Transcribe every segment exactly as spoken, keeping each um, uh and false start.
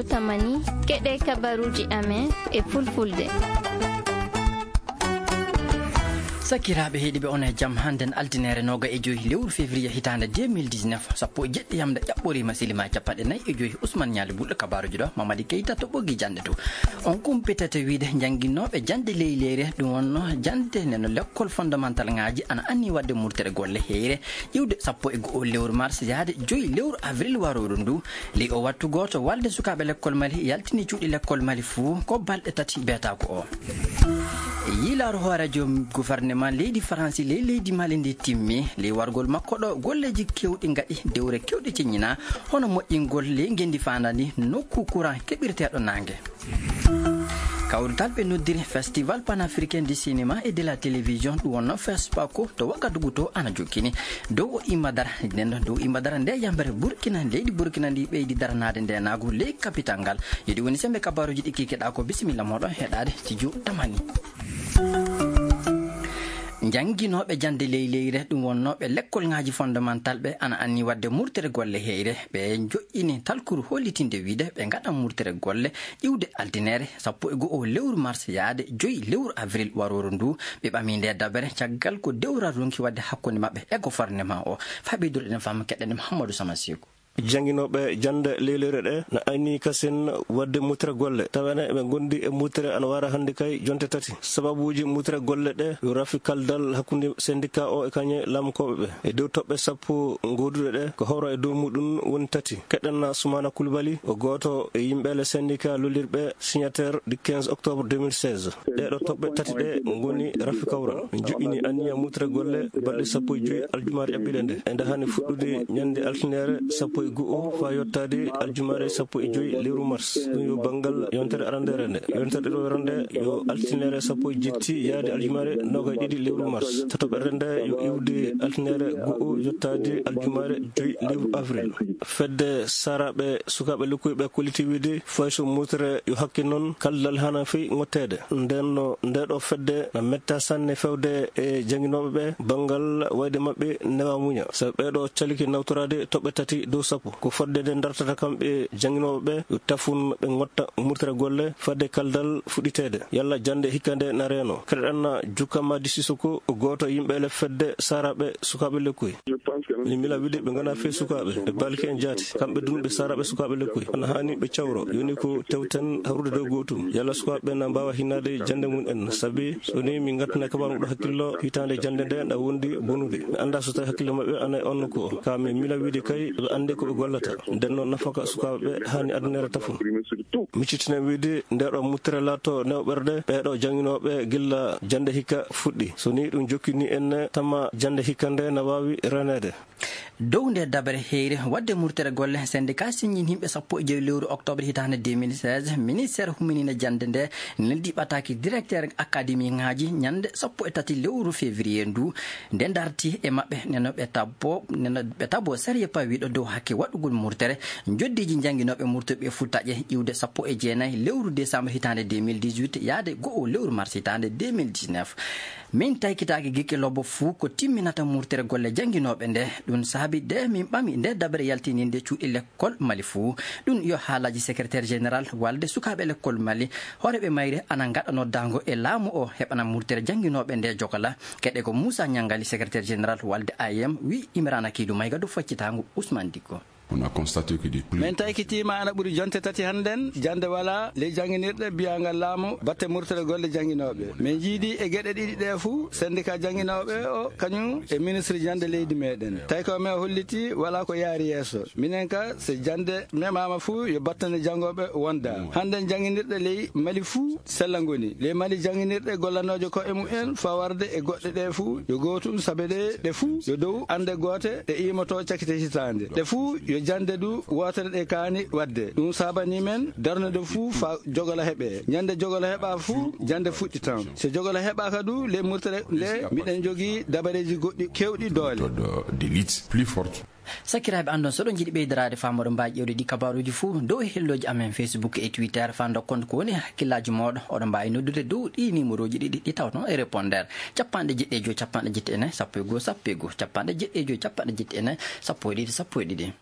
Tamani, keɗe kabaruuji amen e fulfulde. Sakiraaɓe heɗiiɓe, on e jam. Hannden altine nooga e joy lewru février hitaande deux mille dix-neuf, sappo e jeɗɗi yamde ƴaɓɓoriima, silima capanɗe nayi e joy. Ousmane Ñaali Bulɗo, kabaaruuji ɗo, Mamadi Keita to ɓoggi jannde to. On kumpitete wiide njannginooɓe jannde ley leyre, ɗum wonno jannde nde no lekkol fondamental ŋaaji ana anni waɗde murtere golle heyre, iwde sappo e go'o lewru mars yaade joy lewru avril warooru ndu. Ley o wattu gooto, walde sukaaɓe lekkol Mali yaltini cuuɗi lekkol Mali fuu ko balɗe tati beetaako o. Yiilaaru hooreejo gouvernement leydi Faransi ley leydi Mali ndi timmi. Ley wargol makko ɗo, golleeji keewɗi ngaɗi, dewre keewɗe ceññinaa, hono moƴƴingol ley ngenndi faandandi nokku courant keɓirteeɗo naange. Kawrital ɓe noddiri Festival Panafricain du Cinéma et de la Télévision, ɗum wonno FESPACO, to Ouagadougou to ana jokkini dow o imma dara. Nden ɗo dow imma dara nde yambere Burkina, leydi Burkina ndi ɓeydi daranaade ndeenaagu ley kapital ngal. Yo ɗi woni sembe kabaaruuji ɗi kikiɗaa ko. Bisimilla mooɗon heɗaade Studio Tamani. Njannginooɓe jannde ley leyre, ɗum wonnooɓe lekkol ŋaaji fondamental ɓe, ana anni waɗde murtere golle heyre. Ɓe njoƴƴini talkuru hollitinde wiide ɓe ngaɗan murtere golle iwde altine sappo e go'o lewru mars yaade joy lewru avril warooru ndu. Ɓe ɓami nde dabere caggal ko dewral ronki waɗde hakkunde maɓɓe e gouvernement o. Faa ɓeydude ɗen faamu, keɗen Mouhamadou Sama Seku. Jannginooɓe jannde ley leyre ɗe na ayni kasen waɗde murtere golle, tawa ene ɓe ngondi e murtere ana wara hannde kay jonte tati. Sababuuji murtere golle ɗe yo rafi kaldal hakkunde syndicat o e kañe laamukooɓe ɓe. E dow toɓɓe sappo ngoduɗe ɗe, ko hawra e dow muɗum woni tati. Keɗen Soumana Coulibaly, o gooto e yimɓe le syndicat lollirɓe, signataire du quinze octobre deux mille seize. Ɗee ɗoo toɓɓe tati ɗe ngoni rafi kawral. Min joƴƴini anniya murtere golle balɗe sappo e joy aljumaare ƴaɓɓiɗe nde. E nde hani fuɗɗude ñande altiniere sappo e go'o faa yottaade aljumaare sappo e joy lewru mars. Ɗum yo banngal yontere arandeere nde. Yontere ɗiɗaɓere nde yo altiniere sappo e jetti yaade aljumaare noogay ɗiɗi lewru mars. Tataɓere nde yo iwde altiniere go'o yottaade aljumaare joy lewru avril. Fedde saaraaɓe sukaaɓe lekkuy ɓe kolliti wiide fay so murtere yo hakke noon, kaldal hana fey ŋotteede. Nden no nde ɗoo fedde na metta sanne fewde e jannginooɓe ɓe, banngal wayde maɓɓe newa muña. Sabi ɓee ɗoo caliki nawtoraade toɓɓe tati dow sappo. Ko fodde nde dartata kamɓe jannginooɓe ɓe yo tafun ɓe ŋotta murtere golle fadde kaldal fuɗɗiteede. Yalla jannde hikka nde na reeno. Keɗoɗen Jukka Madi Sisoko, gooto e yimɓe le fedde saaraaɓe sukaaɓe lekkuy. Min mila wiide ɓe ngona fey sukaaɓe, ɓe balki en jaati. Kamɓe dun ɓe saaraaɓe sukaaɓe lekkuy. Ana haani ɓe cawro. Yoni ko tewten hawrude dow gootum. Yalla sukaaɓe ɓe na mbaawa hinnaade jannde mum en. Sabi so ni min ngattina kabaaru ɗo hakkillo hitaande jannde nde na wondi bonude. Mi annda so tawi hakkille maɓɓe ana e on nokku o. Ka min mila wiide kay ɓe annde ko ɓe gollata. Nden noon nafaka sukaaɓe ɓe haani addanere tafon. Miccitinen wiide nde ɗo muttere laatto newɓerde ɓee ɗo jannginooɓe gilla jannde hikka fuɗɗi. So ni ɗum jokkini en tama jannde hikka nde na waawi reneede. Dow nde dabere heyre waɗde murtere golle, syndicat siññin yimɓe sappo e joy lewru octobre hitaande deux mille seize, ministère humminina jannde nde, neldi ɓataaki directeur académie ŋaaji ñande sappo e tati lewru février ndu. Nde darti e maɓɓe, neno ɓe tabbo, neno ɓe tabbo sariya pawiiɗo dow hakke waɗugol murtere, njoddiiji jannginooɓe murtuɓe futtaƴe iwde sappo e jeenayi lewru décembre hitaande deux mille dix-huit, yaade go'o lewru mars hitaande deux mille dix-neuf. Min taykitaaki gikke lobbo fuu ko timminata murtere golle jannginooɓe nde. Ɗum saabi de min ɓami nde dabere yaltininde cuuɗi lekkol Mali fuu. Ɗum yo haalaaji secrétaire général walde sukaaɓe lekkol Mali. Hooreeɓe mayre ana ngaɗa noddaango e laamu o heɓana murtere jannginooɓe nde jogala. Keɗe ko Moussa Ñangali, secrétaire général walde A I M, wi Imrana Kiidu Mayga dow faccitaango Ousmane Dikko. On a constaté que des plaies. Min taykitiima ana ɓuri jonte tati hannden, jannde walaa ley jannginirɗe biyaangal laamu batte murtere golle jannginooɓe. Min njiidi e geɗe ɗiɗi ɗe fuu, syndicat jannginooɓe o, kañum e ministre jannde leydi meɗen. Tawi ko men holliti, walaa ko yaari yeeso. Minen ka, so jannde meɓaama fuu, yo battane janngooɓe wonda. Hannden jannginirɗe ley Mali fuu sella ngoni. Ley Mali jannginirɗe gollanooje ko'e mumen fawarde e goɗɗe ɗe fuu, yo gootum sabe ɗe, ɗe fuu yo dow annde goote ɗe iimoto cakite hitaande. Ɗe fuu yo jannde du wootere ɗe kaani waɗde. Ɗum saabanii men darnude fuu faa jogolo heɓee. Ñande jogolo heɓaa fuu, jannde fuɗɗitan. So jogolo heɓaaka du, ley murtere nde, miɗen jogii dabareeji goɗɗi keewɗi doole. Méthode de lutte plus forte. Sakiraaɓe, anndon, so oɗon njiɗi ɓeydaraade faamu, oɗon mbaawi ƴeewde ɗi kabaaruuji fuu dow e hellooji amen Facebook e Twitter, faa ndokkon ko woni hakkillaaji mooɗon. Oɗon mbaawi noddude dow ɗii niimorooji ɗiɗi ɗi tawton e répondeur: capanɗe jeɗɗi e joy, capanɗe jeɗɗi e nayi, sappo e go'o, sappo e go'o, capanɗe jeɗɗi e joy, capanɗe jeɗɗi e nayi, sappo e ɗiɗi, sappo e ɗiɗi.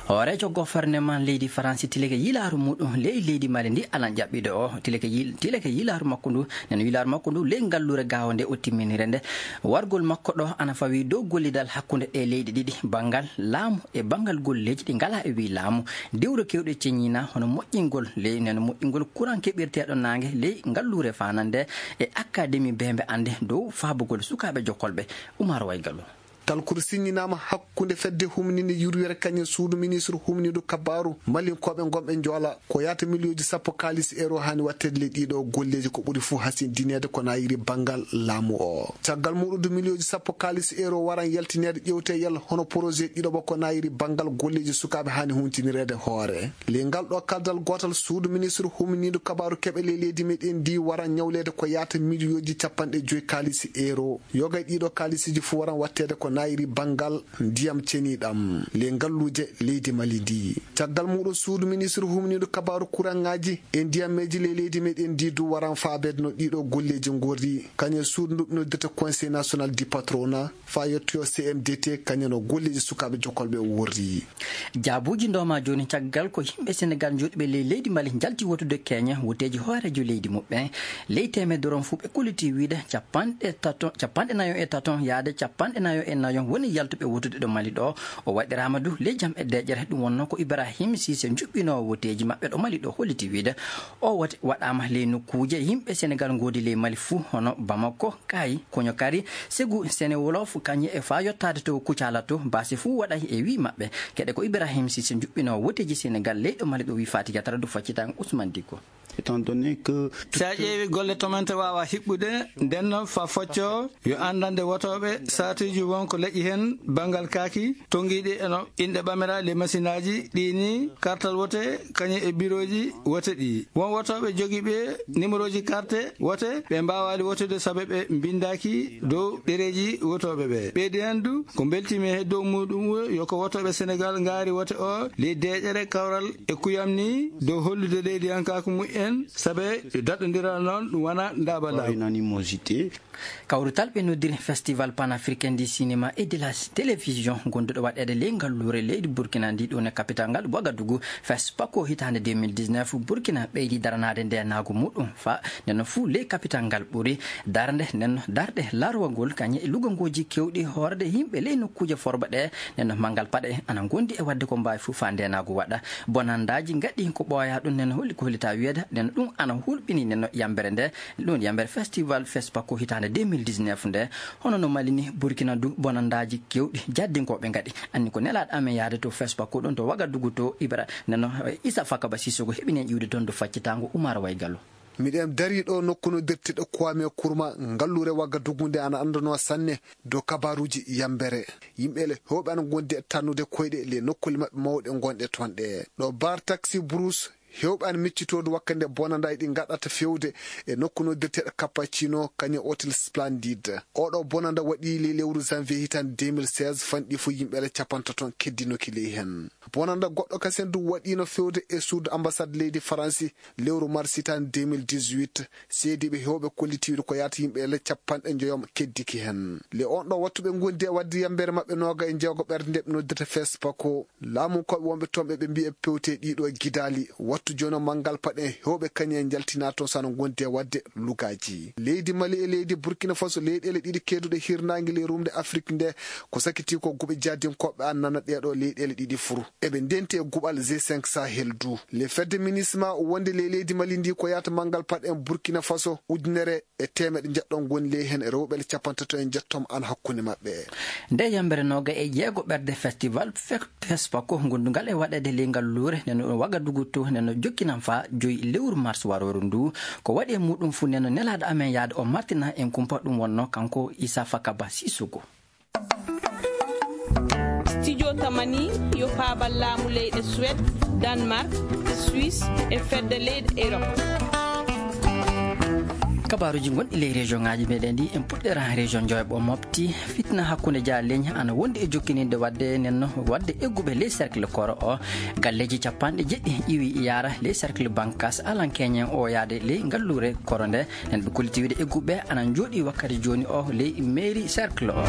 Hooreejo goforneman leydi Faransi tileke yilaaru muɗum ley leydi Mali ndi alan ƴaɓɓiiɗo o, tileke yil-, tileke yilaaru makko ndu, nden yilaaru makko ndu ley ngalluure gaawo nde o timminire nde. Wargol makko ɗo ana fawii dow gollidal hakkunde ɗee leyɗe ɗiɗi, banngal laamu e banngal golleeji ɗi ngalaa e wii laamu. Dewre keewɗe ceñiina hono moƴƴingol ley, nden moƴƴingol kuran keɓirteeɗo naange ley ngalluure fanande e akademi beembe annde dow faabugol sukaaɓe jokkolɓe. Umar Waygalu. Talkuru siññinaama hakkunde fedde humninde yurwere kañum suudu ministre humnindu kabaaru malinkooɓe ngonɓe njoola ko yahata miliyooji sappo kaalis euro haani waɗteede ley ɗiɗo golleeji ko ɓuri fuu hasindineede ko naayiri banngal laamu o. Caggal muɗum du miliyooji sappo kaalis euro waran yaltineede ƴeewte yalla hono projet ɗiɗo ba ko naayiri banngal golleeji sukaaɓe haani huntinireede hoore. Ley ngal ɗo kaldal gootal suudu ministre humnindu kabaaru keɓe ley leydi meɗen ndi waran ñawleede ko yahata miliyooji capanɗe joyi kaalis euro. Yoga e ɗiɗo kaalisiiji fuu waran waɗteede ko naayiri banngal ndiyam ceniɗam ley ngalluuje leydi Mali ndi. Caggal muɗum suudu ministre humnindu kabaaru kuraŋaaji e ndiyammeeji ley leydi meɗen ndi du waran faabeede no ɗiɗo golleeji ngorri. Kañum e suudu ndu ɓe noddirta Conseil National du Patronat faa yettoyo C M D T kañum no golleeji sukaaɓe jokkolɓe worri. Jaabuuji ndooma jooni caggal ko yimɓe Senegal joɗiiɓe ley leydi Mali njalti wotude keñe woteeji hooreejo leydi muɓɓen. Ley teemedere on fuu ɓe kollitii wiide capanɗe tato, capanɗe nayo e tato yaade capanɗe nayo e nayo woni yaltuɓe wotude ɗo Mali ɗo. O waɗiraama du ley jam e deeƴere. Ɗum wonnoo ko Ibrahim Cissé njuɓɓinoowo woteeji maɓɓe ɗo Mali ɗo holliti wiide o wote waɗaama ley nokkuuje yimɓe Senegal ngoodi ley Mali fuu hono Bamako, Kaayi, Koñokari, Segu, Sene Wolof, kañum e faa yottaade to Kucala to, baasi fuu waɗay e wii maɓɓe. Keɗe ko Ibrahim Cissé njuɓɓinoowo woteeji Senegal leyɗo Mali ɗo wii Fatiga Tara du faccitan Ousmane Dicko. Étant donné que... Si a ƴeewi golle tomante waawa hiɓɓude, nden noon fa focco yo anndande wotooɓe saatuuji won ko leƴƴi heen banngal kaaki, tonngiiɗi eno inɗe ɓamira les masinaaji ɗi ni, kartal wote kañum e birooji wote ɗi. Won wotooɓe jogiiɓe nimerooji karte wote, ɓe mbaawaali wotude sabe ɓe mbinndaaki dow ɗereeji wotooɓe ɓe. Ɓeydi heen du, ko mbeltiimi he dow muuɗum yo ko wotooɓe Senegal ngaari wote o ley deeƴere kawral e kuyam ni dow hollude leydiyankaaku mumen, sabe daɗondiral noon ɗum wona ndaabalaagu. Par unanimosité. Kawrutal ɓe noddiri Festival Panafricain du Cinéma et de la Télévision, gonduɗo waɗeede ley ngalluure leydi Burkina ndi ɗo ne capital ngal Ouagadougou, FESPACO hitaande deux mille dix-neuf, Burkina ɓeydi daranaade ndeenaagu muɗum fa nden fuu ley capital ngal ɓuri darnde nden darɗe larwagol kañe e lugangooji keewɗi hoorde yimɓe ley nokkuuje forba ɗe. Nden manngal paɗe ana ngondi e waɗde ko mbaawi fuu fa ndeenaagu waɗa. Bonandaaji ngaɗi ko ɓooyaa ɗum nden holli ko hollita wiyeede nden ɗum ana hulɓini nden yambere nde. Ɗum yambere festival FESPACO hitaande deux mille dix-neuf nde. Hono no Mali ni, Burkina du bonandaaji keewɗi jaddinkooɓe ngaɗi. Anni ko nelaaɗo amen yahde to FESPACO ɗum to Ouagadougou to Ibra. Neno, eh, Issa Fakaba Sissoko heɓi nen iwde toon do faccitaango Umar Waygallo. Miɗen darii ɗo nokku noddirteeɗo Kwame Nkrumah, ngalluure Ouagadougou nde ana anndanoo sanne dow kabaaruuji yambere. Yimɓe le heewɓe ana ngondi e tannude koyɗe le nokkuule maɓɓe mawɗe ngonɗe toon ɗe. Ɗo bar taxi Brousse, heewɓe ana miccitoo dow wakkande bonandaaji ɗi ngaɗata feewde e nokku noddirteeɗo Cappuccino, kañum e Hôtel Splendide. Oɗo bonanda waɗi ley lewru janvier hitaande deux mille seize, fanɗi fof yimɓe le capantato keddinoki ley heen. Bonanda goɗɗo kasen du waɗiino feewde e suudu ambassade leydi Faransi lewru mars hitaande deux mille dix-huit. Seediiɓe heewɓe kolliti wiide ko yahata yimɓe le capanɗe njoyom keddiki heen. Le on ɗo wattu ɓe ngondi e waɗde yambere maɓɓe nooga e jeego ɓerde nde ɓe noddirta FESPACO. Laamunkooɓe wonɓe toon ɓe, ɓe mbiyi e pewte ɗiɗo gidaali. Wattu jooni o manngal paɗe heewɓe kañum en njaltinaa toon so ana ngondi e waɗde lugaaji. Leydi Mali e leydi Burkina Faso, leyɗeele ɗiɗi keeduɗe hirnaange ley rumde Afrik nde, ko sakitii ko guɓe jahdinkooɓe an nana ɗeeɗo leyɗeele ɗiɗi fuu. Eɓe ndenti e guɓal G cinq Sahel du. Le fedde MINUSMA wonde ley leydi Mali ndi ko yahata manngal paɗe en Burkina Faso ujunere e teemeɗe njeɗɗo ngoni ley heen rewɓe le capantato e njeɗɗo an hakkunde maɓɓe. Nde yambere nooga e jeego ɓerde festival fe-, FESPACO gondungal e waɗeede ley ngal luure, nden no Ouagadougou to, nden no jokkinan faa joyi lewru mars warooru ndu. Ko waɗi e muɗum fuu, nden no nelaaɗo amen yahde o martina en kumpa ɗum wonno kanko Issa Fakaba Sissoko. Studio Tamani yo faabal laamu leyɗe Suède, Danemark, Suisse e fedde leyɗe Europe. Kabaaruuji gonɗi ley région ŋaaji meɗen ɗi, en puɗɗera région Diohibo Mopti. Fitna hakkunde jaaleeji ana wondi e jokkininde waɗde nenno waɗde egguɓe ley cercle Koro o. Galleeji capanɗe jeɗɗi iwi yaara ley cercle Bankas alan keñen o yaade ley ngalluure Koro nde. Nen ɓe kolliti wiide egguɓe ana jooɗi wakkati jooni o ley mairie cercle o.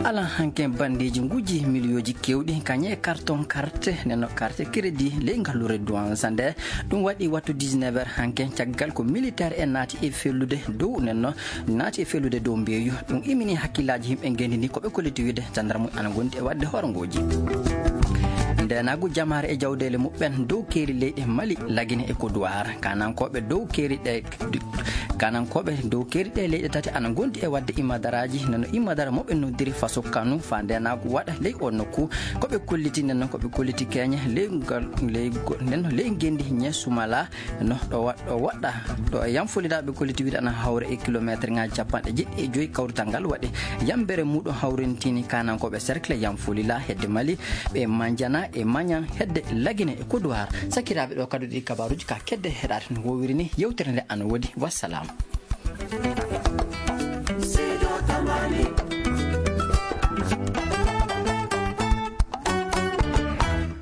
Alan hanke bandeeji nguji miliyooji kewɗi kañe carton carte nenno carte crédit ley ngalluure Douanza nde. Ɗum waɗi wattu dix-neuf heures hanke, caggal ko militaire en naati e fellude dow nenno, naati e fellude dow mbeeyu. Ɗum imini hakkillaaji yimɓe ngenndi ndi, ko ɓe kolliti wiide gendarme ana gondi e waɗde horngooji. Ndeenaagu jamaare e jawdeele muɓɓen dow keeri leyɗe Mali, Lagine e Kodowar. Kanankooɓe dow keeri ɗe, kanankooɓe dow keeri ɗe leyɗe tati ana gondi e waɗde imadaraaji, nano imadara mo ɓe noddiri Faso Kanu, fa ndeenaagu waɗa ley o nokku. Ko ɓe kolliti nden noon, ko ɓe kolliti keñe ley ngal, ley go-, nden noon ley ngenndi Ñesumala, no ɗo wa-, ɗo woɗɗa, ɗo e Yamfolila ɓe kolliti wiide ana hawra e kilometre ŋaaji capanɗe jeɗɗi e joyi. Kawrital ngal waɗi yambere muɗum hawrintini kanankooɓe cercle Yamfolila hedde Mali, ɓe Manjana e Mañan hedde Lagine e Kodowar. Sakiraaɓe, ɗo kadduɗi kabaruuji ka kedde heɗaade no wowiri ni, yewtere nde ana woodi. Wassalam.